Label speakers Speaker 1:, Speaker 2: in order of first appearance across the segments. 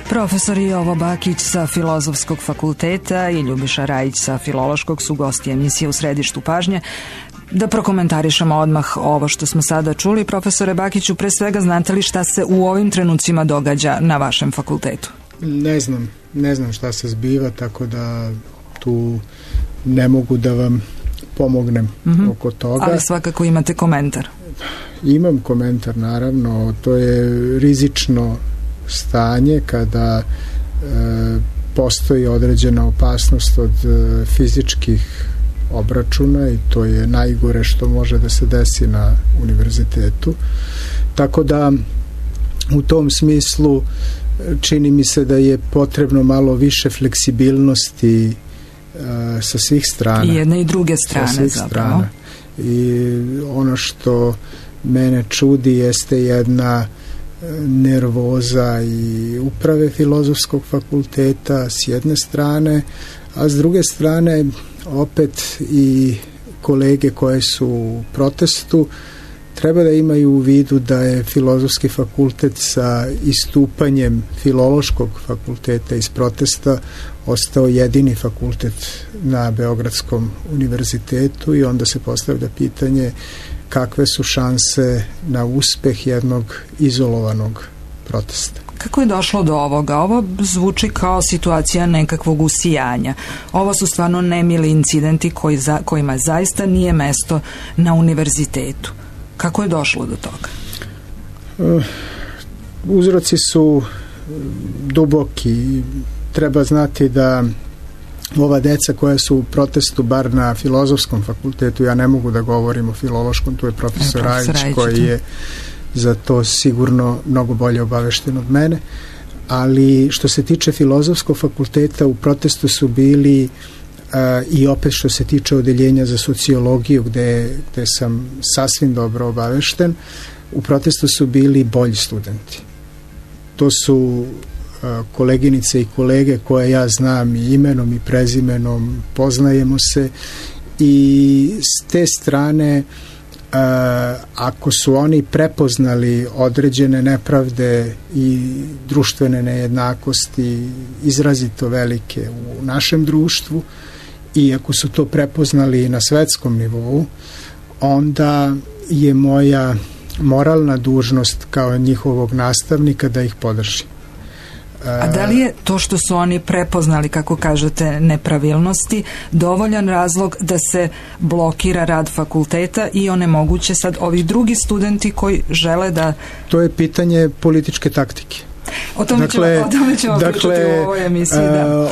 Speaker 1: Profesor Jovo Bakić sa Filozofskog fakulteta i Ljubiša Rajić sa Filološkog su gosti emisije U središtu pažnje. Da prokomentarišemo odmah ovo što smo sada čuli. Profesore Bakiću, pre svega znate li šta se u ovim trenucima događa na vašem fakultetu?
Speaker 2: Ne znam šta se zbiva, tako da tu ne mogu da vam pomognem oko toga.
Speaker 1: Ali svakako imate komentar.
Speaker 2: Imam komentar, naravno. To je rizično stanje kada postoji određena opasnost od fizičkih obračuna i to je najgore što može da se desi na univerzitetu. Tako da u tom smislu čini mi se da je potrebno malo više fleksibilnosti sa svih strana.
Speaker 1: I jedne i druge strane zapravo.
Speaker 2: I ono što mene čudi jeste jedna nervoza i uprave Filozofskog fakulteta s jedne strane, a s druge strane opet i kolege koje su u protestu treba da imaju u vidu da je Filozofski fakultet sa istupanjem Filološkog fakulteta iz protesta ostao jedini fakultet na Beogradskom univerzitetu i onda se postavlja pitanje kakve su šanse na uspeh jednog izolovanog protesta.
Speaker 1: Kako je došlo do ovoga? Ovo zvuči kao situacija nekakvog usijanja. Ovo su stvarno nemili incidenti kojima zaista nije mesto na univerzitetu. Kako je došlo do toga?
Speaker 2: Uzroci su duboki. Treba znati da ova deca koja su u protestu, bar na Filozofskom fakultetu, ja ne mogu da govorim o Filološkom, tu je profesor Rajić koji je za to sigurno mnogo bolje obavešten od mene, ali što se tiče Filozofskog fakulteta u protestu su bili i opet što se tiče odeljenja za sociologiju gde sam sasvim dobro obavešten, u protestu su bili bolji studenti. To su koleginice i kolege koje ja znam i imenom i prezimenom, poznajemo se i s te strane ako su oni prepoznali određene nepravde i društvene nejednakosti izrazito velike u našem društvu i ako su to prepoznali na svetskom nivou, onda je moja moralna dužnost kao njihovog nastavnika da ih podržim.
Speaker 1: A da li je to što su oni prepoznali, kako kažete, nepravilnosti, dovoljan razlog da se blokira rad fakulteta i onemoguće sad ovi drugi studenti koji žele da...
Speaker 2: To je pitanje političke taktike.
Speaker 1: O tome ćemo pričati u ovoj emisiji.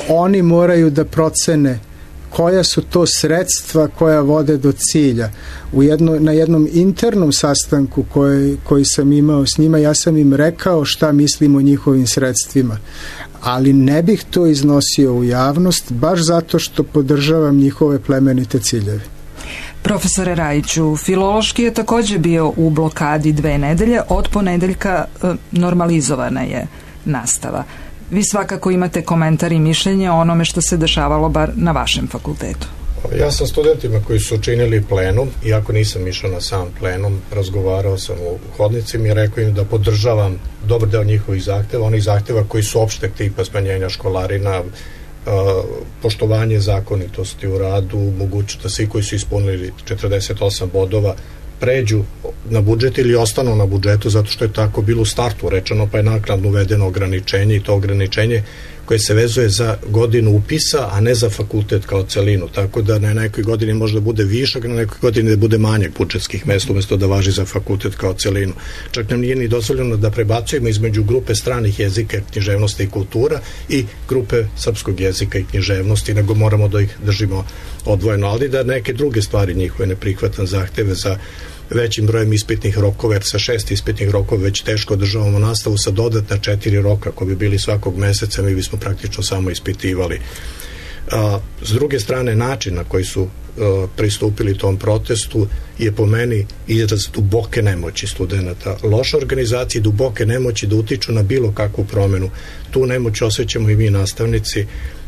Speaker 2: Oni moraju da procene koja su to sredstva koja vode do cilja. Na jednom internom sastanku koji sam imao s njima, ja sam im rekao šta mislim o njihovim sredstvima, ali ne bih to iznosio u javnost, baš zato što podržavam njihove plemenite ciljeve.
Speaker 1: Profesore Rajiću, Filološki je također bio u blokadi 2 nedelje, od ponedeljka normalizovana je nastava. Vi svakako imate komentar i mišljenje o onome što se dešavalo bar na vašem fakultetu.
Speaker 3: Ja sam studentima koji su učinili plenum, iako nisam išao na sam plenum, razgovarao sam u hodnicima i rekao im da podržavam dobar deo njihovih zahteva, onih zahteva koji su opšteg tipa smanjenja školarina, poštovanje zakonitosti u radu, moguće da svi koji su ispunili 48 bodova pređu na budžet ili ostanu na budžetu zato što je tako bilo u startu rečeno, pa je naknadno uvedeno ograničenje i to ograničenje koje se vezuje za godinu upisa, a ne za fakultet kao celinu, tako da na nekoj godini možda bude višak, na nekoj godini da bude manjak budžetskih mesta umesto da važi za fakultet kao celinu. Čak nam nije ni dozvoljeno da prebacujemo između grupe stranih jezika, književnosti i kultura i grupe srpskog jezika i književnosti, nego moramo da ih držimo odvojeno, ali da neke druge stvari njihove ne prihvatam zahteve za većim brojem ispitnih rokova, jer sa 6 ispitnih rokova već teško održavamo nastavu, sa dodatna 4 roka koji bi bili svakog meseca, mi bismo praktično samo ispitivali. S druge strane, način na koji su pristupili tom protestu je po meni izraz duboke nemoći studenta, loša organizacija i duboke nemoći da utiču na bilo kakvu promenu. Tu nemoć osjećamo i mi nastavnici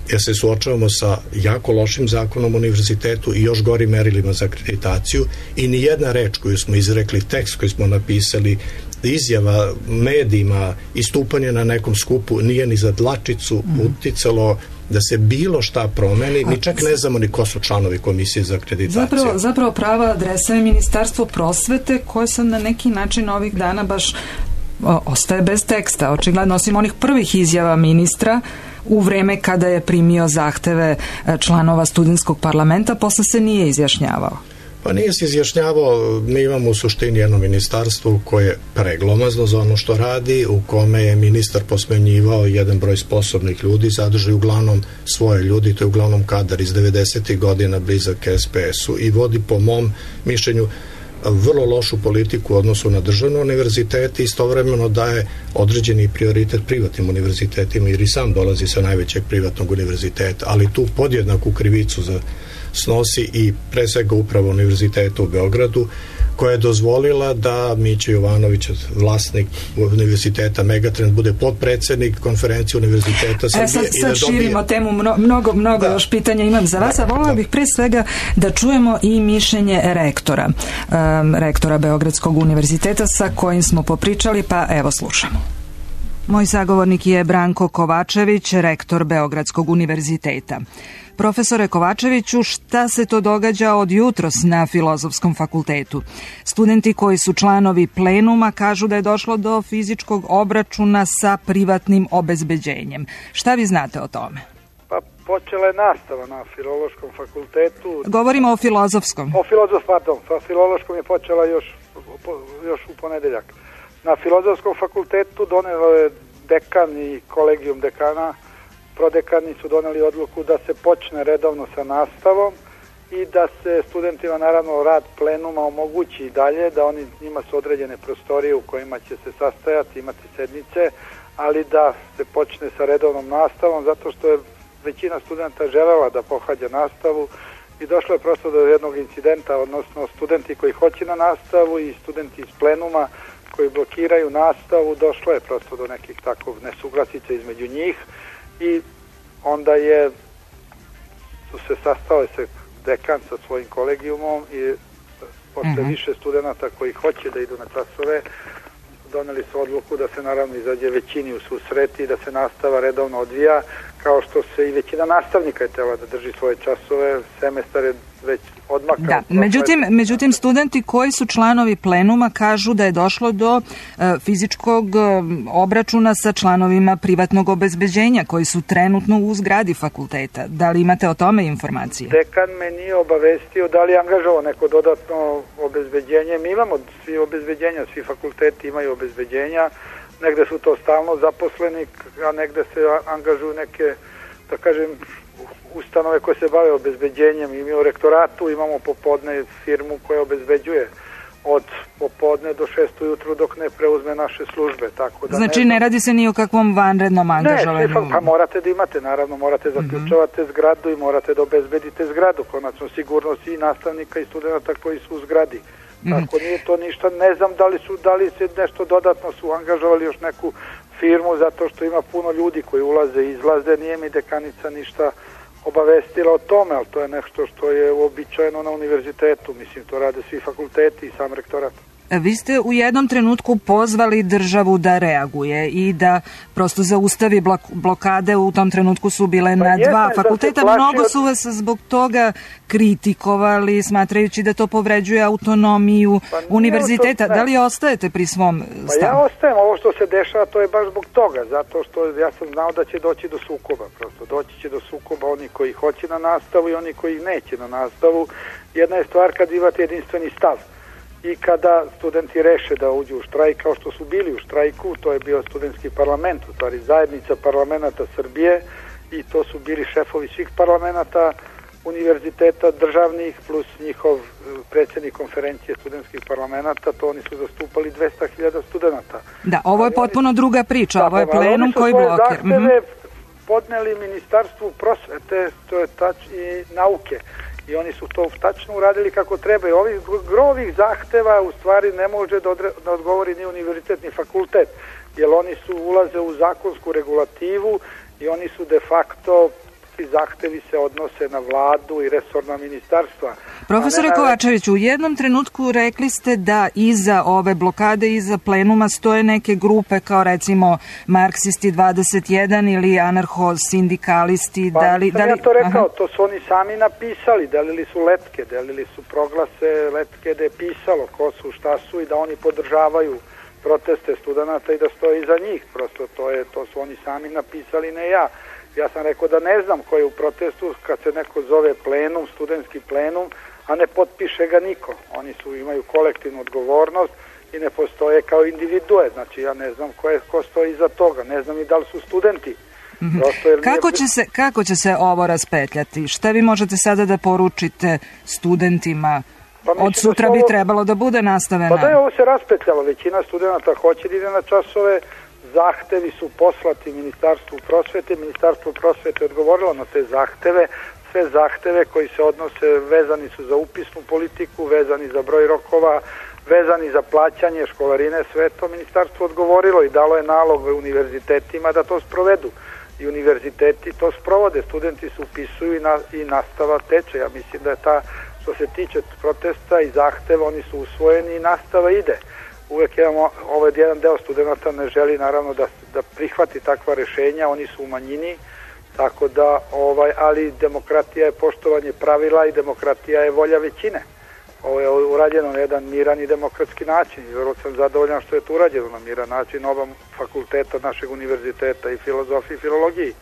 Speaker 3: jer se suočavamo sa jako lošim zakonom o univerzitetu i još gorim merilima za akreditaciju i ni jedna reč koju smo izrekli, tekst koji smo napisali, izjava medijima, istupanje na nekom skupu nije ni za dlačicu uticalo da se bilo šta promeni, mi čak ne znamo ni ko su članovi komisije za akreditaciju.
Speaker 1: Zapravo prava adresa je Ministarstvo prosvete koje sam na neki način ovih dana baš ostaje bez teksta, očigledno, osim onih prvih izjava ministra u vreme kada je primio zahteve članova studentskog parlamenta, posle se nije izjašnjavao.
Speaker 3: Pa nije se izjašnjavao, mi imamo u suštini jedno ministarstvo koje je preglomazno za ono što radi, u kome je ministar posmenjivao jedan broj sposobnih ljudi, zadrži uglavnom svoje ljudi, to je uglavnom kadar iz 90. godina blizak SPS-u i vodi po mom mišljenju vrlo lošu politiku u odnosu na državne univerzitete i istovremeno daje određeni prioritet privatnim univerzitetima jer i sam dolazi sa najvećeg privatnog univerziteta, ali tu podjednaku krivicu snosi i pre svega upravo univerziteta u Beogradu koja je dozvolila da Mića Jovanović, vlasnik univerziteta Megatrend, bude potpredsednik konferencije univerziteta Srbije.
Speaker 1: Sad širimo temu, mnogo još pitanja imam za vas, a volila bih pre svega da čujemo i mišljenje rektora Beogradskog univerziteta sa kojim smo popričali, pa evo slušamo. Moj sagovornik je Branko Kovačević, rektor Beogradskog univerziteta. Profesore Kovačeviću, šta se to događa od jutros na Filozofskom fakultetu? Studenti koji su članovi plenuma kažu da je došlo do fizičkog obračuna sa privatnim obezbeđenjem. Šta vi znate o tome?
Speaker 4: Pa počela je nastava na Filološkom fakultetu.
Speaker 1: Govorimo o Filozofskom.
Speaker 4: Filološkom je počela još u ponedeljak. Na Filozofskom fakultetu donelo je dekan i kolegijum dekana, prodekani su doneli odluku da se počne redovno sa nastavom i da se studentima naravno rad plenuma omogući i dalje, da njima su određene prostorije u kojima će se sastajati, imati sednice, ali da se počne sa redovnom nastavom zato što je većina studenta želela da pohađa nastavu i došlo je prosto do jednog incidenta, odnosno studenti koji hoće na nastavu i studenti iz plenuma koji blokiraju nastavu, došlo je prosto do nekih takvog nesuglasica između njih i onda su se sastale se dekan sa svojim kolegijumom i posle više studenta koji hoće da idu na časove doneli su odluku da se naravno izađe većini u susret i da se nastava redovno odvija, kao što se i većina nastavnika je tela da drži svoje časove, semestar je već odmakao.
Speaker 1: Da, međutim studenti koji su članovi plenuma kažu da je došlo do fizičkog obračuna sa članovima privatnog obezbeđenja koji su trenutno u zgradi fakulteta. Da li imate o tome informacije?
Speaker 4: Dekan me nije obavestio da li je angažovao neko dodatno obezbeđenje. Mi imamo svi obezbeđenja, svi fakulteti imaju obezbeđenja, negde su to stalno zaposleni, a negde se angažuju neke, da kažem, ustanove koje se bave obezbeđenjem. I mi u rektoratu imamo popodne firmu koja obezbeđuje od popodne do 6 ujutru dok ne preuzme naše službe. Tako da
Speaker 1: znači ne radi se ni o kakvom vanrednom angažovanju?
Speaker 4: Ne, pa morate da imate, naravno morate zaključavate zgradu i morate da obezbedite zgradu, konačno sigurnost i nastavnika i studenta koji su u zgradi. Tako nije to ništa, ne znam da li se nešto dodatno su angažovali još neku firmu zato što ima puno ljudi koji ulaze i izlaze, nije mi dekanica ništa obavestila o tome, ali to je nešto što je uobičajeno na univerzitetu, mislim to rade svi fakulteti i sam rektorat.
Speaker 1: Vi ste u jednom trenutku pozvali državu da reaguje i da prosto zaustavi blokade, u tom trenutku su bile na dva fakulteta, mnogo su vas zbog toga kritikovali, smatrajući da to povređuje autonomiju univerziteta. Da li ostajete pri svom stavu?
Speaker 4: Pa ja ostajem, ovo što se dešava to je baš zbog toga, zato što ja sam znao da će doći do sukoba, prosto doći će do sukoba oni koji hoće na nastavu i oni koji neće na nastavu. Jedna je stvar kad imate jedinstveni stav i kada studenti reše da uđu u štrajk, kao što su bili u štrajku, to je bio studentski parlament, u stvari zajednica parlamenta Srbije i to su bili šefovi svih parlamenta univerziteta državnih plus njihov predsjednik konferencije studentskih parlamenta, to oni su zastupali 200.000 studenta.
Speaker 1: Da, ovo je potpuno druga priča, ovo je plenum koji blokira.
Speaker 4: Oni su svoje zahteve podneli Ministarstvu prosvete, to je i nauke. I oni su to tačno uradili kako treba. I ovih zahteva u stvari ne može da odgovori ni univerzitet ni fakultet, jer oni ulaze u zakonsku regulativu i oni su de facto takvi zahtevi se odnose na vladu i resorna ministarstva.
Speaker 1: Profesore Kovačević, u jednom trenutku rekli ste da iza ove blokade, iza plenuma stoje neke grupe kao recimo Marksisti 21 ili anarcho-sindikalisti.
Speaker 4: Ja to rekao, to su oni sami napisali, delili su letke, delili su proglase, letke da je pisalo ko su, šta su i da oni podržavaju proteste studenata i da stoje iza njih. Prosto to su oni sami napisali, ne ja. Ja sam rekao da ne znam ko je u protestu kad se neko zove plenum, studentski plenum, a ne potpiše ga niko. Oni imaju kolektivnu odgovornost i ne postoje kao individue. Znači ja ne znam ko stoji iza toga, ne znam i da li su studenti.
Speaker 1: Kako će se ovo raspetljati? Šta vi možete sada da poručite studentima? Od sutra bi trebalo da bude nastavena.
Speaker 4: Pa da je ovo se raspetljalo, većina studenta hoće da ide na časove, zahtevi su poslati Ministarstvu prosvete odgovorilo na te zahteve, sve zahteve koji se odnose, vezani su za upisnu politiku, vezani za broj rokova, vezani za plaćanje školarine, sve to ministarstvo odgovorilo i dalo je nalog univerzitetima da to sprovedu. I univerziteti to sprovode, studenti se upisuju i nastava teče. Ja mislim da je što se tiče protesta i zahteva, oni su usvojeni i nastava ide. Uvek jedan deo studenta ne želi naravno da prihvati takva rešenja, oni su u manjini, tako da, ali demokratija je poštovanje pravila i demokratija je volja većine. Ovo je urađeno na jedan miran i demokratski način i vrlo sam zadovoljan što je to urađeno na miran način oba fakulteta našeg univerziteta i filozofiji i filologiji.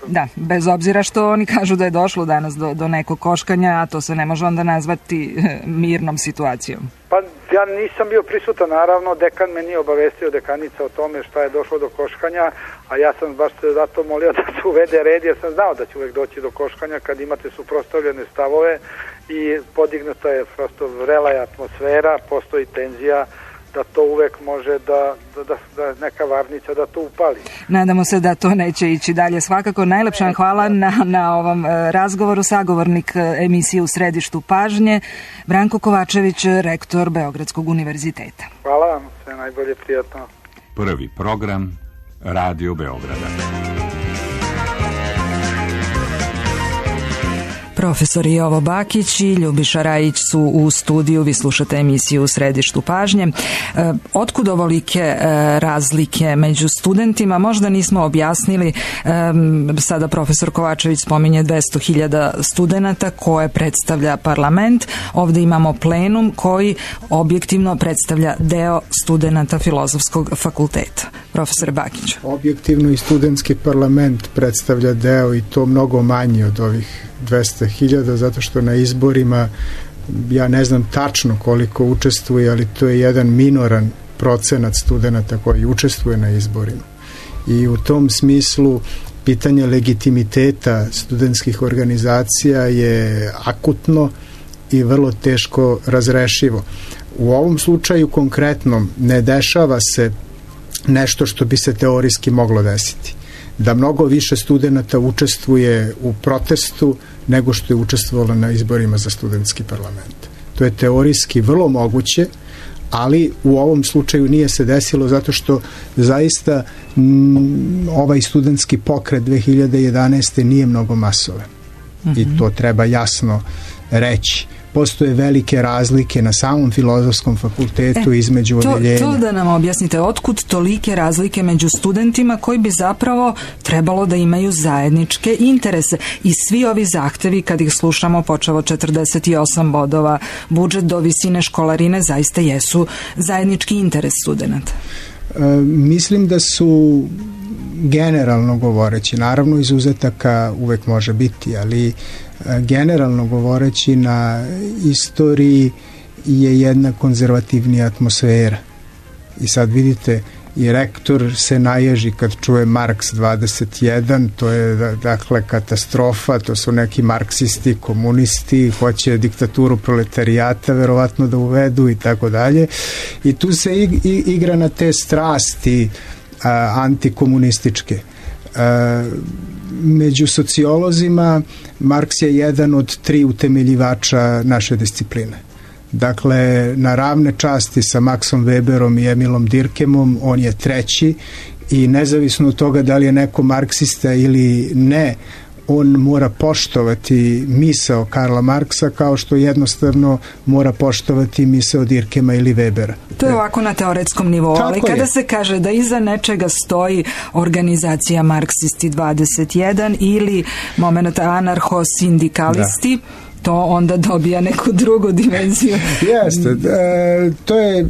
Speaker 1: Da, bez obzira što oni kažu da je došlo danas do nekog koškanja, a to se ne može onda nazvati mirnom situacijom.
Speaker 4: Pa ja nisam bio prisutan, naravno, dekan me nije obavestio, dekanica o tome šta je došlo do koškanja, a ja sam baš zato molio da se uvede red, jer sam znao da će uvek doći do koškanja kad imate suprotstavljene stavove i podignuta je prosto vrela je atmosfera, postoji tenzija, da to uvek može da neka varnica da to upali.
Speaker 1: Nadamo se da to neće ići dalje. Svakako najlepša hvala na ovom razgovoru. Sagovornik emisije U središtu pažnje, Branko Kovačević, rektor Beogradskog univerziteta.
Speaker 4: Hvala vam, sve najbolje, prijatno.
Speaker 5: Prvi program Radio Beograda.
Speaker 1: Profesor Jovo Bakić i Ljubiša Rajić su u studiju, vi slušate emisiju U središtu pažnje. Otkud ovolike razlike među studentima? Možda nismo objasnili, sada profesor Kovačević spominje 200.000 studenata koje predstavlja parlament. Ovde imamo plenum koji objektivno predstavlja deo studenata Filozofskog fakulteta. Profesor Bakić.
Speaker 2: Objektivno i studentski parlament predstavlja deo i to mnogo manji od ovih 200.000, zato što na izborima ja ne znam tačno koliko učestvuje, ali to je jedan minoran procenat studenata koji učestvuje na izborima. I u tom smislu pitanje legitimiteta studentskih organizacija je akutno i vrlo teško razrešivo. U ovom slučaju konkretnom ne dešava se nešto što bi se teorijski moglo desiti. Da mnogo više studenata učestvuje u protestu nego što je učestvovalo na izborima za studentski parlament. To je teorijski vrlo moguće, ali u ovom slučaju nije se desilo zato što zaista ovaj studentski pokret 2011. nije mnogo masovan. I to treba jasno reći. Postoje velike razlike na samom Filozofskom fakultetu između odeljenja.
Speaker 1: To da nam objasnite, otkud tolike razlike među studentima koji bi zapravo trebalo da imaju zajedničke interese i svi ovi zahtevi kad ih slušamo počevo 48 bodova, budžet do visine školarine zaista jesu zajednički interes studenata?
Speaker 2: Mislim da su generalno govoreći, naravno izuzetaka uvek može biti, ali generalno govoreći na istoriji je jedna konzervativnija atmosfera. I sad vidite, i rektor se naježi kad čuje Marks 21, to je dakle katastrofa, to su neki marksisti, komunisti, hoće diktaturu proletarijata verovatno da uvedu i tako dalje. I tu se igra na te strasti antikomunističke. Među sociolozima Marks je jedan od 3 utemeljivača naše discipline. Dakle, na ravne časti sa Maxom Weberom i Emilom Durkheimom on je 3. i nezavisno od toga da li je neko marksista ili ne, on mora poštovati misao Karla Marksa kao što jednostavno mora poštovati misao Dirkema ili Webera.
Speaker 1: To je ovako na teoretskom nivou, ali kada se kaže da iza nečega stoji organizacija Marksisti 21 ili moment anarcho-sindikalisti, to onda dobija neku drugu dimenziju.
Speaker 2: Jeste, to je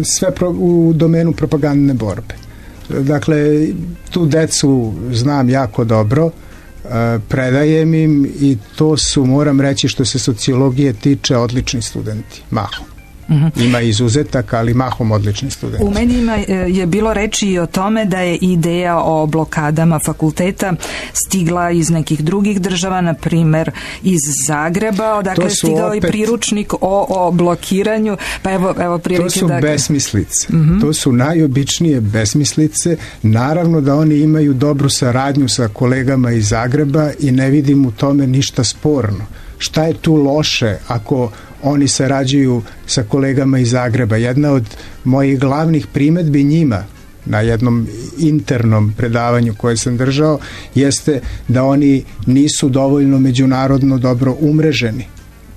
Speaker 2: sve u domenu propagandne borbe. Dakle, tu decu znam jako dobro, predajem im i to su, moram reći, što se sociologije tiče, odlični studenti, mahom. Ima izuzetaka, ali mahom odlični studenti.
Speaker 1: U medijima je bilo reči i o tome da je ideja o blokadama fakulteta stigla iz nekih drugih država, na primer iz Zagreba, odakle stigao i priručnik o blokiranju, pa evo prilike.
Speaker 2: To su besmislice. To su najobičnije besmislice. Naravno da oni imaju dobru saradnju sa kolegama iz Zagreba i ne vidim u tome ništa sporno. Šta je tu loše ako oni sarađuju sa kolegama iz Zagreba? Jedna od mojih glavnih primedbi njima na jednom internom predavanju koje sam držao jeste da oni nisu dovoljno međunarodno dobro umreženi.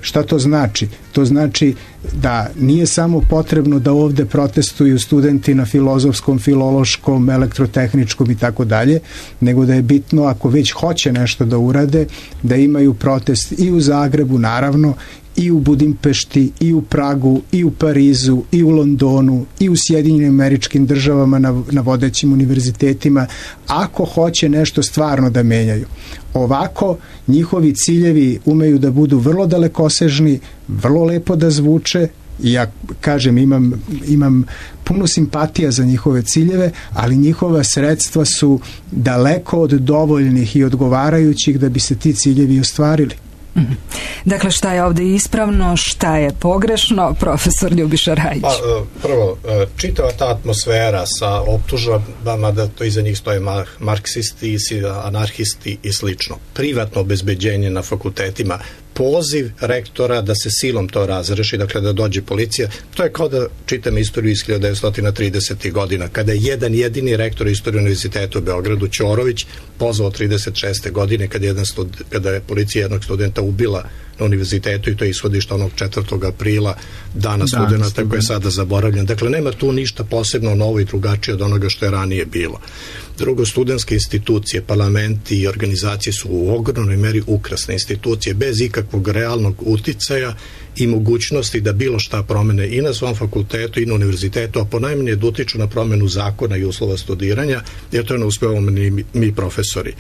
Speaker 2: Šta to znači? To znači da nije samo potrebno da ovde protestuju studenti na filozofskom, filološkom, elektrotehničkom i tako dalje, nego da je bitno, ako već hoće nešto da urade, da imaju protest i u Zagrebu, naravno, i u Budimpešti, i u Pragu, i u Parizu, i u Londonu, i u Sjedinjenim Američkim Državama na vodećim univerzitetima, ako hoće nešto stvarno da menjaju. Ovako, njihovi ciljevi umeju da budu vrlo dalekosežni, vrlo lepo da zvuče, i ja kažem, imam puno simpatija za njihove ciljeve, ali njihova sredstva su daleko od dovoljnih i odgovarajućih da bi se ti ciljevi ostvarili.
Speaker 1: Dakle, šta je ovdje ispravno, šta je pogrešno, profesor Ljubiša Rajić?
Speaker 3: Prvo, čitava ta atmosfera sa optužbama da to iza njih stoje marksisti, anarhisti i slično. Privatno obezbeđenje na fakultetima, poziv rektora da se silom to razreši, dakle da dođe policija, to je kao da čitam istoriju iz 1930. godina, kada je jedan jedini rektor istorije univerziteta u Beogradu, Ćorović, pozvao 36. godine kada je policija jednog studenta ubila na univerzitetu, i to je ishodište onog 4. aprila, dana studenta koji je sada zaboravljen. Dakle, nema tu ništa posebno novo i drugačije od onoga što je ranije bilo. Drugo, studentske institucije, parlamenti i organizacije su u ogromnoj meri ukrasne institucije, bez ikakvog realnog uticaja i mogućnosti da bilo šta promene i na svom fakultetu i na univerzitetu, a ponajmanje da utiču na promenu zakona i uslova studiranja, jer to ne uspevamo ni mi profesori.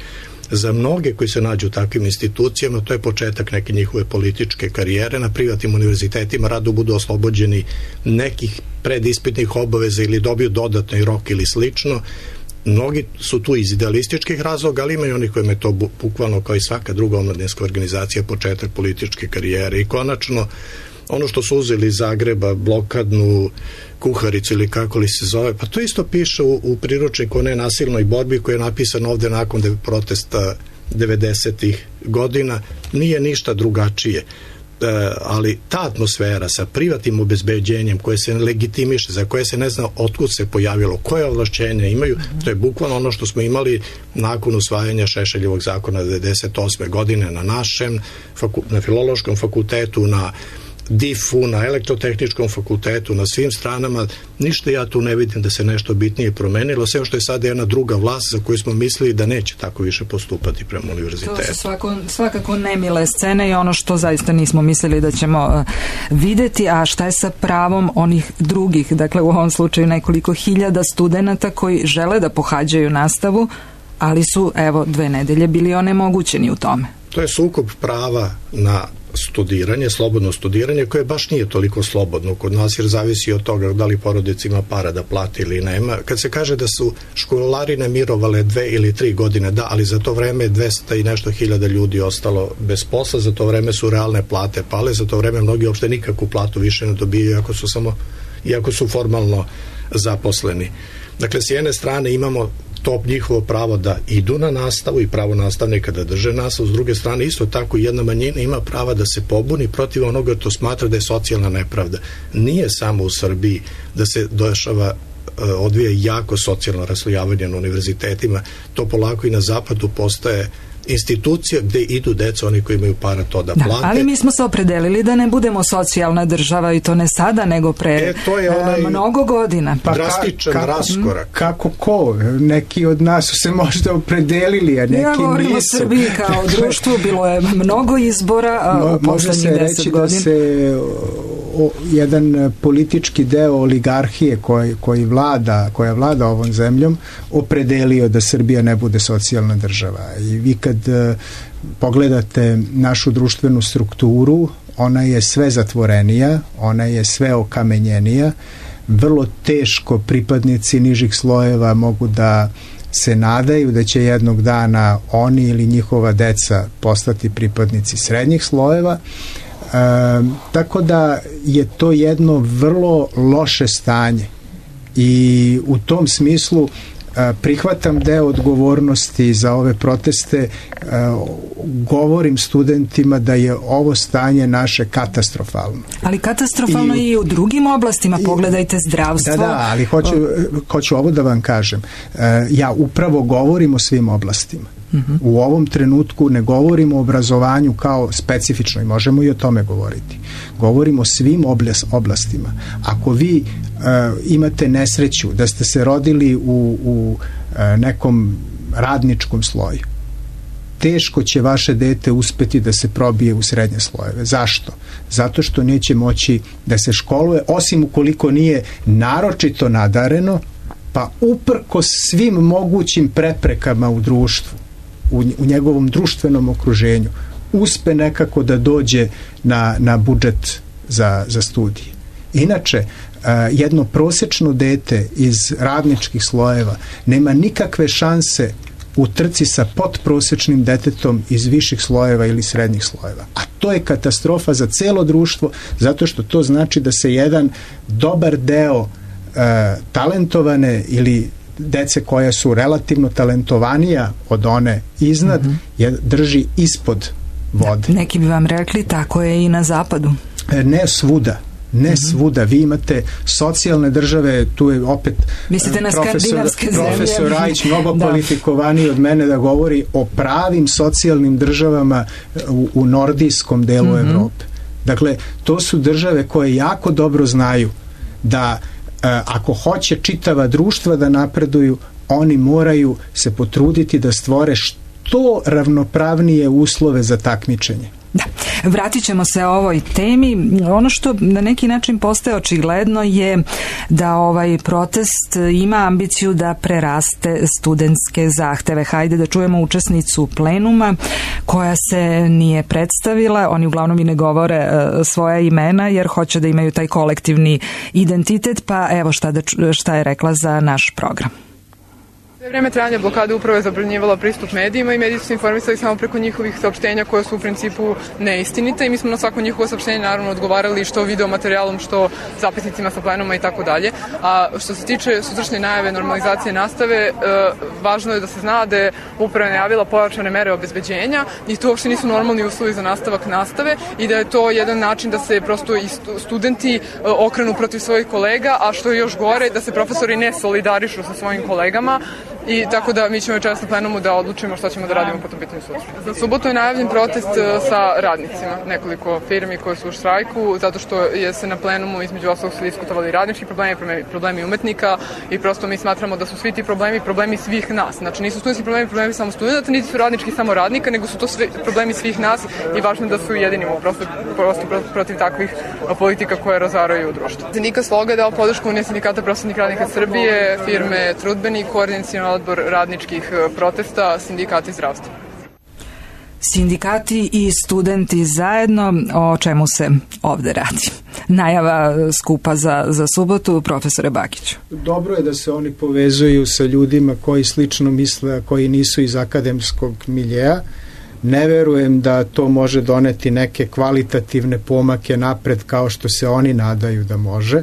Speaker 3: Za mnoge koji se nađu u takvim institucijama, to je početak neke njihove političke karijere. Na privatnim univerzitetima rado budu oslobođeni nekih predispitnih obaveza ili dobiju dodatni rok ili slično. Mnogi su tu iz idealističkih razloga, ali imaju oni kojima je to bukvalno, kao i svaka druga omladinska organizacija, početak političke karijere. I konačno, ono što su uzeli iz Zagreba, blokadnu kuharicu ili kako li se zove, pa to isto piše u priručniku o nenasilnoj borbi koji je napisan ovde nakon protesta 90-ih godina. Nije ništa drugačije. Ali ta atmosfera sa privatnim obezbeđenjem koje se legitimiše, za koje se ne zna otkud se pojavilo, koje ovlašćenja imaju, to je bukvalno ono što smo imali nakon usvajanja Šešeljevog zakona 98. godine na našem, na Filološkom fakultetu, na DIF-u, na Elektrotehničkom fakultetu, na svim stranama. Ništa ja tu ne vidim da se nešto bitnije promenilo, sve što je sada jedna druga vlast za koju smo mislili da neće tako više postupati prema univerzitetu.
Speaker 1: To su svakako nemile scene i ono što zaista nismo mislili da ćemo videti. A šta je sa pravom onih drugih, dakle u ovom slučaju nekoliko hiljada studenata koji žele da pohađaju nastavu, ali su, evo, 2 nedelje bili onemogućeni u tome?
Speaker 3: To je sukob prava na studiranje, slobodno studiranje, koje baš nije toliko slobodno kod nas, jer zavisi od toga da li porodica ima para da plati ili nema. Kad se kaže da su školarine mirovale 2 ili 3 godine, da, ali za to vreme 200 i nešto hiljada ljudi ostalo bez posla, za to vreme su realne plate pale, za to vreme mnogi uopšte nikakvu platu više ne dobijaju, iako su formalno zaposleni. Dakle, s jedne strane imamo to njihovo pravo da idu na nastavu i pravo nastavnika da drže nastavu, s druge strane isto tako jedna manjina ima prava da se pobuni protiv onoga to smatra da je socijalna nepravda. Nije samo u Srbiji da se odvija jako socijalno raslojavanje na univerzitetima, to polako i na zapadu postaje institucija gde idu deca, oni koji imaju para to da plate.
Speaker 1: Ali mi smo se opredelili da ne budemo socijalna država i to ne sada, nego pre mnogo godina.
Speaker 3: Pa drastičan raskorak.
Speaker 2: Kako ko? Neki od nas su se možda opredelili, a neki nisu.
Speaker 1: Ja govorim o Srbiji kao društvu, bilo je mnogo izbora u poslednjih 10 godina. Može se reći da se jedan politički deo oligarhije koja vlada ovom zemljom opredelio da Srbija ne bude socijalna država. I vi kad pogledate našu društvenu strukturu, ona je sve zatvorenija, ona je sve okamenjenija, vrlo teško pripadnici nižih slojeva mogu da se nadaju da će jednog dana oni ili njihova deca postati pripadnici srednjih slojeva. Tako da je to jedno vrlo loše stanje i u tom smislu prihvatam deo odgovornosti za ove proteste, govorim studentima da je ovo stanje naše katastrofalno. Ali katastrofalno i u drugim oblastima, pogledajte zdravstvo.
Speaker 2: Da, ali hoću ovo da vam kažem. Ja upravo govorim o svim oblastima. U ovom trenutku ne govorimo o obrazovanju kao specifično i možemo i o tome govoriti. Govorimo o svim oblastima. Ako vi imate nesreću da ste se rodili u nekom radničkom sloju, teško će vaše dete uspeti da se probije u srednje slojeve. Zašto? Zato što neće moći da se školuje, osim ukoliko nije naročito nadareno, pa uprkos svim mogućim preprekama u društvu, u njegovom društvenom okruženju, uspe nekako da dođe na budžet za studije. Inače, jedno prosečno dete iz radničkih slojeva nema nikakve šanse u trci sa podprosečnim detetom iz viših slojeva ili srednjih slojeva. A to je katastrofa za celo društvo, zato što to znači da se jedan dobar deo talentovane ili dece koja su relativno talentovanija od one iznad, drži ispod vode.
Speaker 1: Neki bi vam rekli, tako je i na zapadu.
Speaker 2: Ne svuda. Ne svuda. Vi imate socijalne države, tu je opet profesor Rajić mnogo kvalifikovaniji od mene da govori o pravim socijalnim državama u nordijskom delu Evrope. Dakle, to su države koje jako dobro znaju da ako hoće čitava društva da napreduju, oni moraju se potruditi da stvore što ravnopravnije uslove za takmičenje.
Speaker 1: Da, vratit ćemo se ovoj temi. Ono što na neki način postaje očigledno je da ovaj protest ima ambiciju da preraste studentske zahteve. Hajde da čujemo učesnicu plenuma koja se nije predstavila. Oni uglavnom i ne govore svoja imena jer hoće da imaju taj kolektivni identitet, pa evo šta je rekla za naš program.
Speaker 6: Sve vreme trajanja blokade upravo je zabranjivala pristup medijima i mediji su informisali samo preko njihovih saopštenja koje su u principu neistinite i mi smo na svako njihovo saopštenje naravno odgovarali što video materijalom, što zapisnicima sa plenuma i tako dalje. A što se tiče sutrašnje najave normalizacije nastave, važno je da se zna da je upravo najavila pojačane mere obezbeđenja i to uopšte nisu normalni uslovi za nastavak nastave i da je to jedan način da se prosto i studenti okrenu protiv svojih kolega, a što je još gore, da se profesori ne solidarišu sa svojim kolegama. I tako da mi ćemo večeras na plenumu da odlučimo šta ćemo da radimo po tom pitanju sutra. Za subotu je najavljen protest sa radnicima, nekoliko firmi koje su u štrajku, zato što je se na plenumu između ostalog su diskutovali radnički problemi umetnika i prosto mi smatramo da su svi ti problemi svih nas. Znači nisu studentski problemi samo studenta, niti su radnički samo radnika, nego su to sve problemi svih nas i važno je da se ujedinimo prosto protiv takvih politika koje razaraju društvo. Sindikat Sloga je dao podršku Unije sindikata prosvetnih radnika Srbije, firme Trudbeni, koordinacioni odbor radničkih protesta, sindikati zdravstva.
Speaker 1: Sindikati i studenti zajedno, o čemu se ovde radi? Najava skupa za subotu, profesore Bakiću.
Speaker 2: Dobro je da se oni povezuju sa ljudima koji slično misle, koji nisu iz akademskog miljeja. Ne verujem da to može doneti neke kvalitativne pomake napred kao što se oni nadaju da može.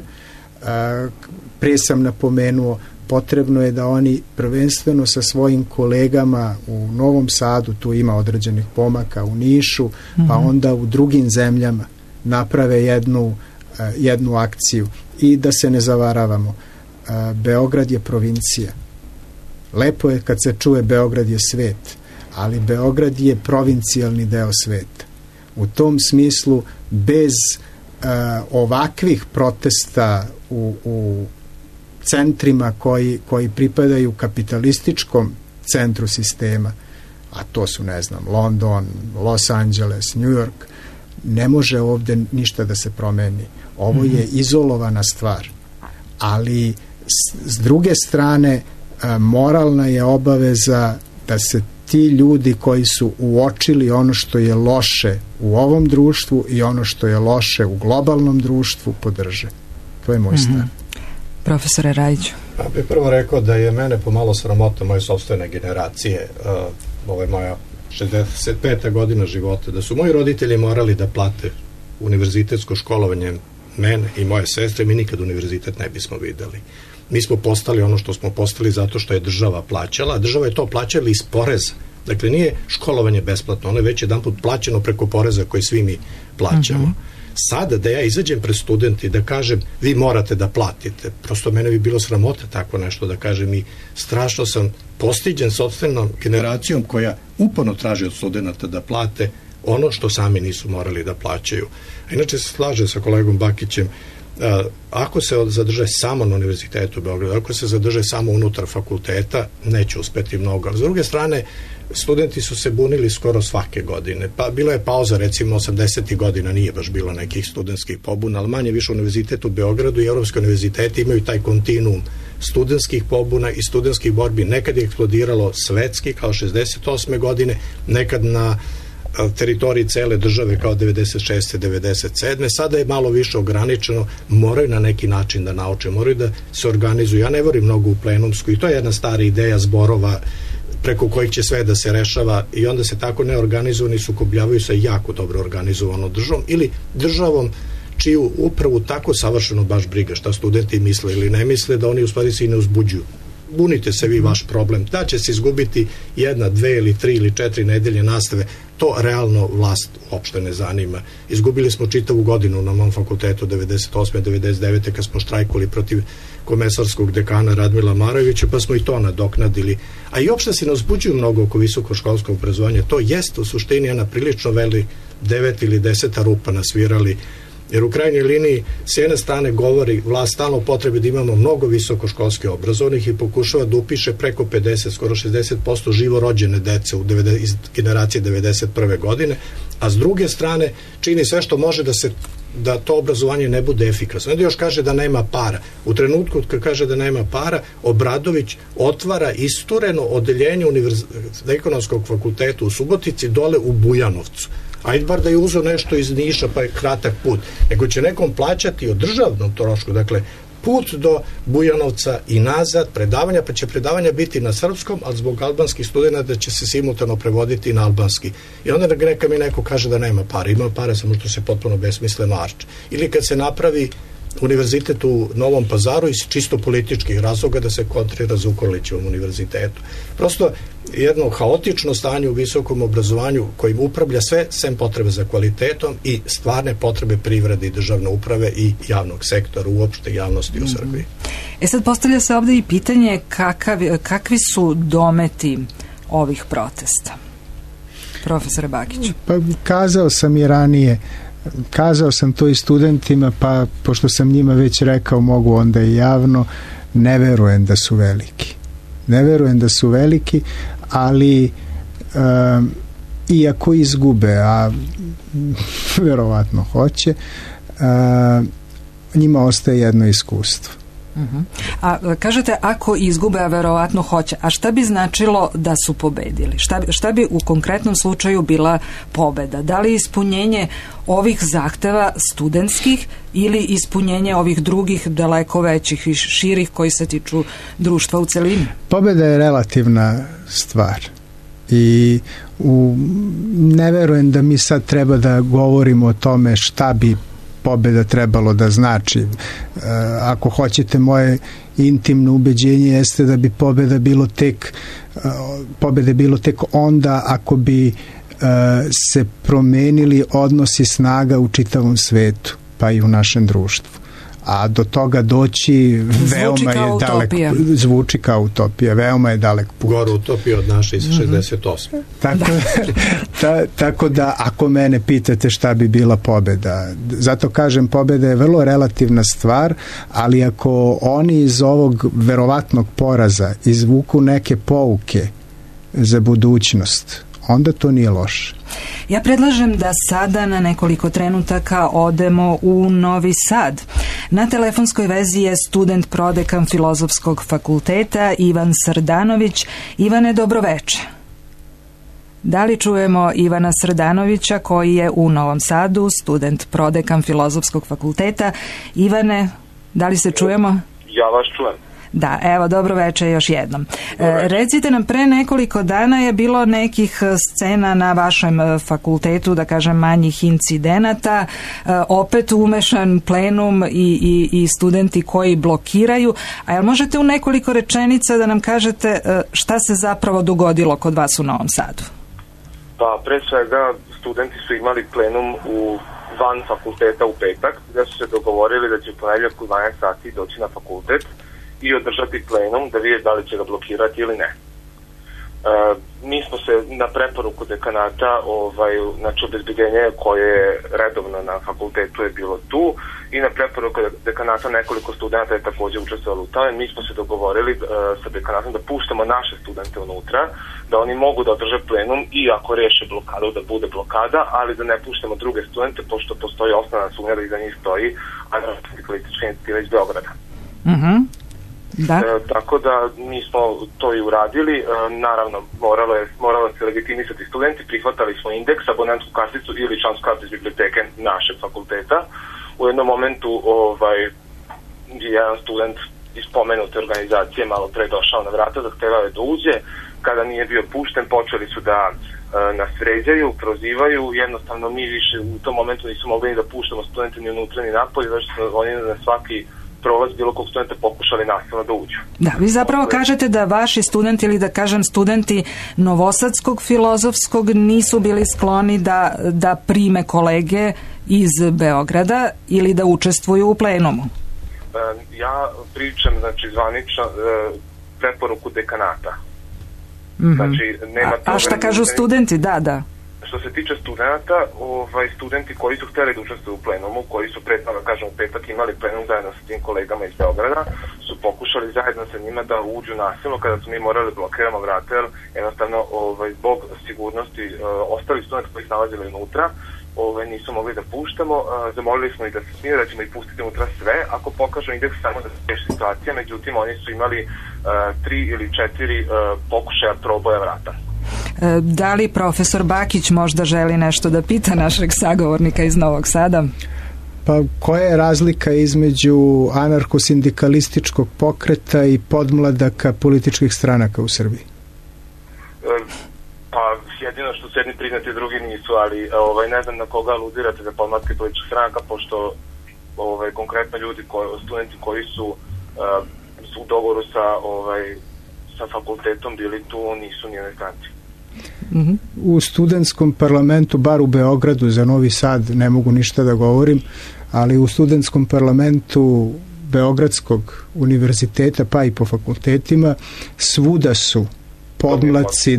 Speaker 2: Prije sam napomenuo, potrebno je da oni prvenstveno sa svojim kolegama u Novom Sadu, tu ima određenih pomaka, u Nišu, pa onda u drugim zemljama naprave jednu akciju. I da se ne zavaravamo, Beograd je provincija. Lepo je kad se čuje Beograd je svet, ali Beograd je provincijalni deo sveta. U tom smislu, bez ovakvih protesta u centrima koji pripadaju kapitalističkom centru sistema, a to su, ne znam, London, Los Angeles, New York, ne može ovde ništa da se promeni. Ovo je izolovana stvar. Ali s druge strane, moralna je obaveza da se ti ljudi koji su uočili ono što je loše u ovom društvu i ono što je loše u globalnom društvu podrže. To je moj stav.
Speaker 1: Profesore Rajiću.
Speaker 3: Ja bih prvo rekao da je mene pomalo sramota moje sopstvene generacije, ovo je moja 65. godina života, da su moji roditelji morali da plate univerzitetsko školovanje mene i moje sestre, mi nikad univerzitet ne bismo videli. Mi smo postali ono što smo postali zato što je država plaćala, a država je to plaćala iz poreza. Dakle, nije školovanje besplatno, ono je već jedanput plaćeno preko poreza koji svi mi plaćamo. Sada da ja izađem pred studenti da kažem vi morate da platite, prosto mene bi bilo sramota tako nešto da kažem i strašno sam postiđen sopstvenom generacijom koja uporno traži od studenta da plate ono što sami nisu morali da plaćaju. A inače se slaže sa kolegom Bakićem, ako se zadrže samo na Univerzitetu u Beogradu, ako se zadrže samo unutar fakulteta, neće uspeti mnogo. Ali s druge strane, studenti su se bunili skoro svake godine. Pa bila je pauza, recimo 80. godina nije baš bilo nekih studentskih pobuna, ali manje više Univerzitet u Beogradu i Evropski univerziteti imaju taj kontinuum studentskih pobuna i studentskih borbi. Nekad je eksplodiralo svetski kao 68. godine, nekad na teritoriji cele države kao 96. 97. Sada je malo više ograničeno, moraju na neki način da nauče, moraju da se organizuju. Ja ne vorim mnogo u plenumsku i to je jedna stara ideja zborova preko kojih će sve da se rešava i onda se tako neorganizovani sukobljavaju sa jako dobro organizovanom državom ili državom čiju upravu tako savršeno baš briga šta studenti misle ili ne misle, da oni u stvari se i ne uzbuđuju. Bunite se vi, vaš problem. Da će se izgubiti 1, 2 ili 3 ili 4 nedelje nastave, to realno vlast uopšte ne zanima. Izgubili smo čitavu godinu na mom fakultetu 98. 99. kad smo štrajkali protiv komesarskog dekana Radmila Marojevića, pa smo i to nadoknadili. A i uopšte se ne uzbuđuju mnogo oko visokoškolskog obrazovanja. To jest u suštini jedna prilično veli 9 ili 10 rupa nasvirali, jer u krajnjoj liniji s jedne strane govori vlast stalno potrebe da imamo mnogo visokoškolske obrazovnih i pokušava da upiše preko 50, skoro 60% živorođene dece iz generacije 91. godine, a s druge strane čini sve što može da to obrazovanje ne bude efikasno. Onda još kaže da nema para. U trenutku kad kaže da nema para, Obradović otvara istureno odeljenje ekonomskog fakulteta u Subotici dole u Bujanovcu. Ajde bar da je uzeo nešto iz Niša pa je kratak put, nego će nekom plaćati o državnom trošku, dakle put do Bujanovca i nazad, predavanja, pa će predavanja biti na srpskom, ali zbog albanskih studenata će se simultano prevoditi na albanski. I onda neka mi neko kaže da nema para, ima para samo što se potpuno besmisleno arče. Ili kad se napravi univerzitet u Novom Pazaru iz čisto političkih razloga da se kontrira Zukorlićevom univerzitetu. Prosto jedno haotično stanje u visokom obrazovanju kojim upravlja sve sem potrebe za kvalitetom i stvarne potrebe privrede i državne uprave i javnog sektora, uopšte javnosti u Srbiji.
Speaker 1: Sad postavlja se ovde i pitanje kakvi su dometi ovih protesta? Profesore Bakiću.
Speaker 2: Pa kazao sam i ranije, kazao sam to i studentima, pa pošto sam njima već rekao, mogu onda i javno, ne verujem da su veliki. Ne verujem da su veliki, ali iako izgube, a verovatno hoće, njima ostaje jedno iskustvo.
Speaker 1: A kažete ako izgube, a verovatno hoće, a šta bi značilo da su pobedili? Šta bi u konkretnom slučaju bila pobeda? Da li ispunjenje ovih zahteva studentskih ili ispunjenje ovih drugih daleko većih i širih koji se tiču društva u celini?
Speaker 2: Pobeda je relativna stvar i ne verujem da mi sad treba da govorimo o tome šta bi pobeda trebalo da znači. Ako hoćete, moje intimno ubeđenje jeste da bi pobeda bilo tek onda ako bi se promenili odnosi snaga u čitavom svetu, pa i u našem društvu. a do toga doći veoma je dalek, zvuči kao utopija, veoma je dalek put.
Speaker 3: Gore utopija od naše iz 68.
Speaker 2: Tako da, ako mene pitate šta bi bila pobeda, zato kažem, pobeda je vrlo relativna stvar, ali ako oni iz ovog verovatnog poraza izvuku neke pouke za budućnost, onda to nije loše.
Speaker 1: Ja predlažem da sada na nekoliko trenutaka odemo u Novi Sad. Na telefonskoj vezi je student prodekan Filozofskog fakulteta Ivan Srdanović. Ivane, dobroveče. Da li čujemo Ivana Srdanovića koji je u Novom Sadu, student prodekan Filozofskog fakulteta? Ivane, da li se čujemo?
Speaker 7: Ja vas čujem.
Speaker 1: Da, evo, dobro večer još jednom. Recite nam, pre nekoliko dana je bilo nekih scena na vašem fakultetu, da kažem manjih incidenata, opet umešan plenum i studenti koji blokiraju. A jel možete u nekoliko rečenica da nam kažete šta se zapravo dogodilo kod vas u Novom Sadu?
Speaker 7: Pa, pre svega, studenti su imali plenum van fakulteta u petak, gde su se dogovorili da će ponedjeljak u 12 sati doći na fakultet i održati plenum da vidje da li će ga blokirati ili ne. Mi smo se na preporuku dekanata, znači obezbeđenje koje je redovno na fakultetu je bilo tu i na preporuku dekanata nekoliko studenta je također učestvovalo u tome. Mi smo se dogovorili sa dekanatom da puštamo naše studente unutra, da oni mogu da održe plenum i ako reše blokadu da bude blokada, ali da ne puštamo druge studente pošto postoji osnovna sumnja da iza njih stoji anarhosindikalistička inicijativa iz Beograda. Tako da mi smo to i uradili. Naravno, moralo se legitimisati studenti, prihvatali smo indeks, abonentsku karticu ili člansku kartu iz biblioteke našeg fakulteta. U jednom momentu jedan student iz pomenute organizacije malo pre došao na vrata, zahtevao je da uđe. Kada nije bio pušten, počeli su da nas vređaju, prozivaju. Jednostavno mi više u tom momentu nismo mogli ni da puštamo studente ni unutra ni napolje, već oni na svaki prolaz bilo kog studenta pokušali nasilno da uđu.
Speaker 1: Da, vi zapravo kažete da vaši studenti ili da kažem studenti Novosadskog filozofskog nisu bili skloni da prime kolege iz Beograda ili da učestvuju u plenumu.
Speaker 7: Ja pričam, znači, zvanično preporuku dekanata. Znači, nema
Speaker 1: a šta kažu studenti? Da.
Speaker 7: Što se tiče studenta, studenti koji su hteli da učestvuju u plenumu, koji su pre toga, kažem, u petak imali plenum zajedno sa tim kolegama iz Beograda, su pokušali zajedno sa njima da uđu nasilno kada su mi morali blokiramo vrata, jer jednostavno zbog sigurnosti ostali studenti koji se nalazili unutra nisu mogli da puštamo. Zamolili smo i da se smije, da ćemo ih pustiti unutra sve ako pokažu indeks samo da se reši situacija, međutim oni su imali 3 ili 4 pokušaja proboja vrata.
Speaker 1: Da li profesor Bakić možda želi nešto da pita našeg sagovornika iz Novog Sada?
Speaker 2: Pa koja je razlika između anarhosindikalističkog pokreta i podmladaka političkih stranaka u Srbiji?
Speaker 7: Pa jedino što su jedni priznati, drugi nisu, ali ne znam na koga aludirate za podmlatke političkih stranaka, pošto konkretno ljudi, studenti koji su u dogovoru sa fakultetom bili tu, nisu nijedne stranci.
Speaker 2: U studentskom parlamentu, bar u Beogradu, za Novi Sad ne mogu ništa da govorim, ali u studentskom parlamentu Beogradskog univerziteta, pa i po fakultetima, svuda su podmlatci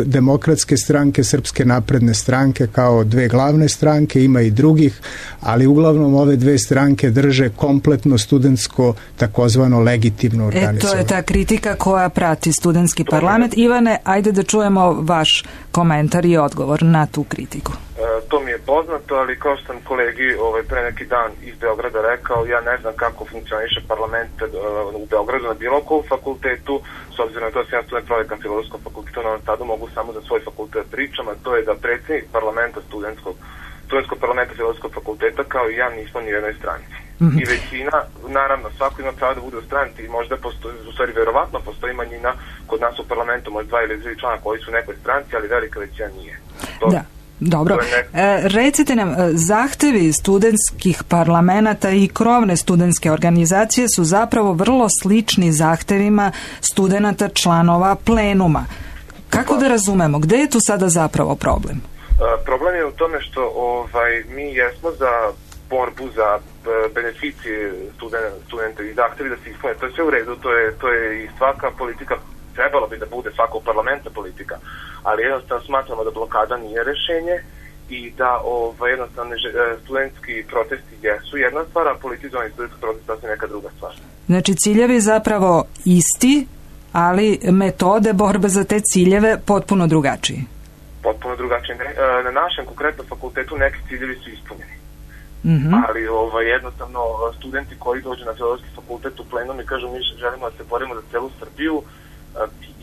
Speaker 2: demokratske stranke, Srpske napredne stranke kao dve glavne stranke, ima i drugih, ali uglavnom ove dve stranke drže kompletno studentsko takozvano legitimno organizovanje.
Speaker 1: To je ta kritika koja prati studentski parlament. Ivane, ajde da čujemo vaš komentar i odgovor na tu kritiku.
Speaker 7: To mi je poznato, ali kao što sam kolegi pre neki dan iz Beograda rekao, ja ne znam kako funkcioniše parlament u Beogradu na bilo kom fakultetu, s obzirom na to sam ja student prodekan Filozofskog fakulteta u Novom Sadu, mogu samo za svoj fakultet pričam, a to je da predsjednik parlamenta studentskog parlamenta Filozofskog fakulteta kao i ja nismo ni u jednoj stranci. I većina, naravno, svako ima pravo da bude u stranci i možda postoji, u stvari verovatno postoji manjina kod nas u parlamentu, možda 2 ili 3 člana koji su u nekoj stranci, ali velika većina nije.
Speaker 1: Da. Dobro, recite nam, zahtevi studentskih parlamenata i krovne studentske organizacije su zapravo vrlo slični zahtevima studenata članova plenuma. Kako da razumemo, gde je tu sada zapravo problem?
Speaker 7: Problem je u tome što mi jesmo za borbu za beneficije studenta i zahtevi da se ispune. To je sve u redu, to je i svaka politika, trebalo bi da bude svakog parlamenta politika, ali jednostavno smatramo da blokada nije rešenje i da jednostavno studentski protesti jesu jedna stvar, a politizovani studentski protest je neka druga stvar.
Speaker 1: Znači ciljevi zapravo isti, ali metode borbe za te ciljeve potpuno drugačiji.
Speaker 7: Potpuno drugačije. Na našem konkretnom fakultetu neki ciljevi su ispunjeni. Ali jednostavno studenti koji dođu na Filozofski fakultet u plenum i kažu mi želimo da se borimo za celu Srbiju,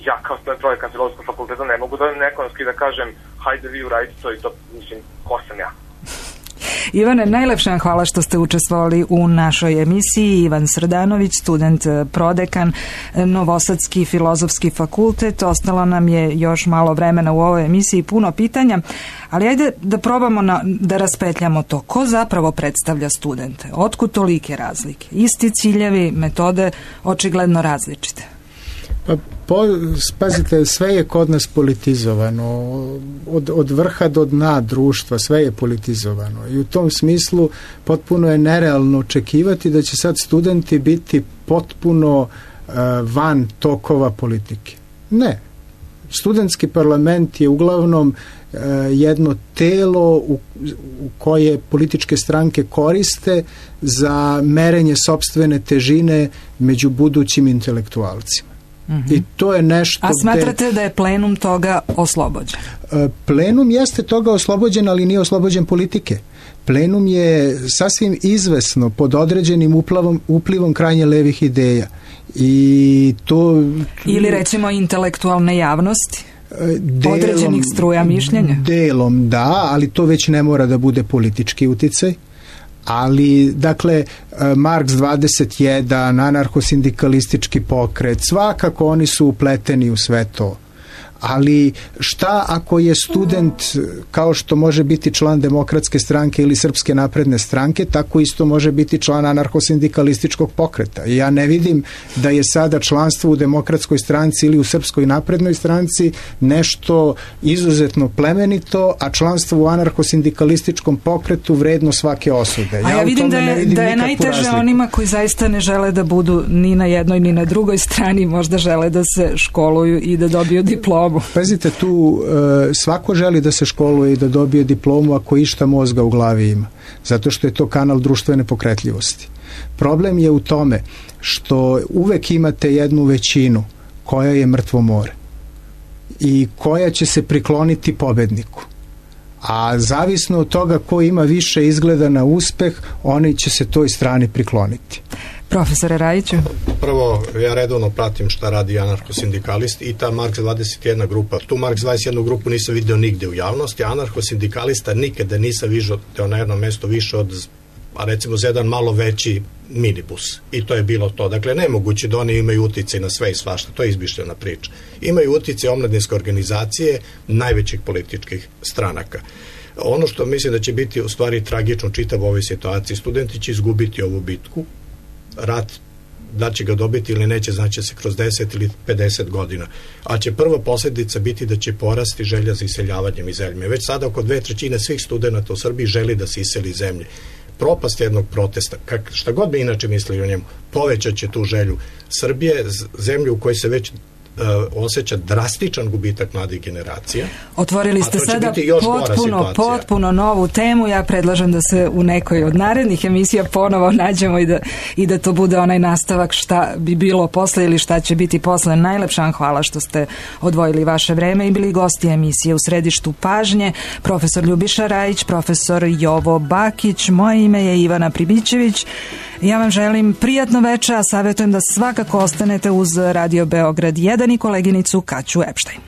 Speaker 7: ja kao student projekat Filozofskog fakulteta ne mogu da ekonomski da kažem hajde vi uradite to i to, mislim, ko sam ja.
Speaker 1: Ivane, najlepša vam hvala što ste učestvovali u našoj emisiji. Ivan Srdanović, student prodekan, Novosadski filozofski fakultet. Ostalo nam je još malo vremena u ovoj emisiji, puno pitanja, ali ajde da probamo da raspetljamo to. Ko zapravo predstavlja studente? Otkud tolike razlike? Isti ciljevi, metode očigledno različite.
Speaker 2: Pazite, sve je kod nas politizovano, od vrha do dna društva, sve je politizovano i u tom smislu potpuno je nerealno očekivati da će sad studenti biti potpuno van tokova politike. Ne. Studentski parlament je uglavnom jedno telo u koje političke stranke koriste za merenje sopstvene težine među budućim intelektualcima. I to je nešto.
Speaker 1: A smatrate da je plenum toga oslobođen?
Speaker 2: Plenum jeste toga oslobođen, ali nije oslobođen politike. Plenum je sasvim izvesno pod određenim uplivom krajnje levih ideja. I to...
Speaker 1: Ili recimo intelektualne javnosti? Određenih struja mišljenja?
Speaker 2: Delom da, ali to već ne mora da bude politički uticaj. Ali, dakle, Marks 21, anarhosindikalistički pokret, svakako oni su upleteni u sve to. Ali šta ako je student, kao što može biti član Demokratske stranke ili Srpske napredne stranke, tako isto može biti član anarhosindikalističkog pokreta. I ja ne vidim da je sada članstvo u Demokratskoj stranci ili u Srpskoj naprednoj stranci nešto izuzetno plemenito, a članstvo u anarhosindikalističkom pokretu vredno svake osude.
Speaker 1: A ja vidim da je najteže razliku onima koji zaista ne žele da budu ni na jednoj ni na drugoj strani, možda žele da se školuju i da dobiju diplomu.
Speaker 2: Pazite, tu svako želi da se školuje i da dobije diplomu ako išta mozga u glavi ima, zato što je to kanal društvene pokretljivosti. Problem je u tome što uvek imate jednu većinu koja je mrtvo more i koja će se prikloniti pobedniku. A zavisno od toga ko ima više izgleda na uspeh, oni će se toj strani prikloniti.
Speaker 1: Profesore Rajiću?
Speaker 3: Prvo, ja redovno pratim šta radi anarhosindikalist i ta Marks 21 grupa. Tu Marks 21 grupu nisam vidio nigde u javnosti, a anarhosindikalista nikada nisam vidio na jednom mjestu više od, a recimo za jedan malo veći minibus. I to je bilo to. Dakle, nemoguće da oni imaju uticaj na sve i svašta. To je izmišljena priča. Imaju uticaj omladinske organizacije najvećih političkih stranaka. Ono što mislim da će biti u stvari tragično čitav u ovoj situaciji, studenti će izgubiti ovu bitku. Rat, da će ga dobiti ili neće, znači se kroz 10 ili 50 godina. A će prva posljedica biti da će porasti želja za iseljavanjem iz zemlje. Već sada oko 2/3 svih studenta u Srbiji želi da se iseli iz zemlje. Propast jednog protesta, šta god bi inače mislili o njemu, povećat će tu želju. Srbije, zemlju u kojoj se već osjeća drastičan gubitak mladih generacija.
Speaker 1: Otvorili ste sada potpuno novu temu. Ja predlažem da se u nekoj od narednih emisija ponovo nađemo i da to bude onaj nastavak šta bi bilo posle ili šta će biti posle. Najlepša vam hvala što ste odvojili vaše vreme i bili gosti emisije U središtu pažnje. Profesor Ljubiša Rajić, profesor Jovo Bakić, moje ime je Ivana Pribićević. Ja vam želim prijatno večer, a savjetujem da svakako ostanete uz Radio Beograd 1 i koleginicu Kaću Epštajn.